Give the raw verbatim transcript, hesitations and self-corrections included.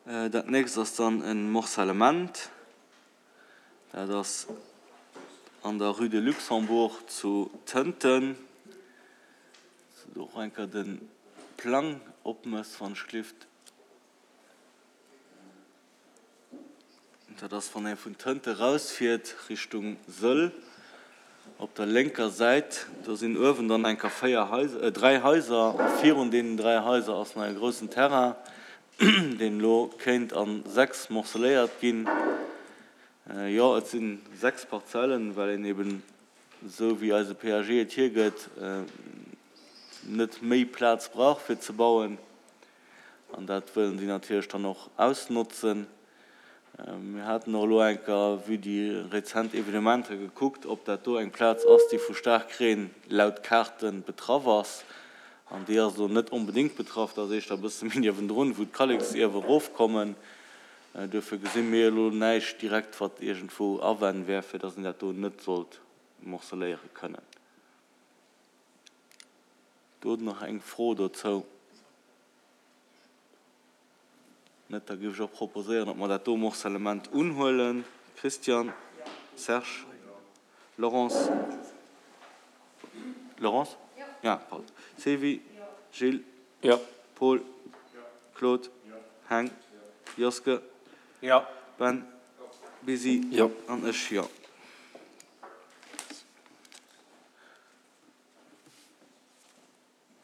Dat nächst ass dann e Morcellement. Dat ass an der Rue de Luxembourg zu Tënten. Dass du och eng Kéier de Plang opmëss, wann ech gelift. Dat ass, wann ee vun Tënte rausfiert Richtung Sëll, op der lénker Säit. Do sinn uewen dann eng Kéier véier Haiser, dräi Haiser a virun deenen dräi Haiser ass nach e groussen Terrain, deen elo kéint a sechs morceléiert ginn. Jo, et si sechs Parzellen, well een eben, esou wéi eise PAG et hiergëtt, net méi Plaz brauch fir ze bauen. An dat wëllen si natierlech dann och ausnotzen. Mir haten och elo eng Kéier, vue déi rezent Evenementer, gekuckt, ob dat do eng Plaz ass, déi vu Staarkreen laut Kaarte betraff ass. An déi ass elo net onbedéngt betraff, dat ass éischter e bësse méi niewendrun, wou d'Kalleksierwe erofkommen. Duerfir gesi mir elo näischt direkt, wat iergendwou Awänn wär, fir datt een dat do net sollt morceléiere kënnen. Do nach eng Fro dozou? Net? Da géif ech och proposéieren, datt mer dat do Morcellement unhuelen. Christian? Serge? Laurence? Laurence? Ja, pardon. Sylvie? Gilles? Paul? Claude? Heng? Joske? Ben? Busy? An ech, jo.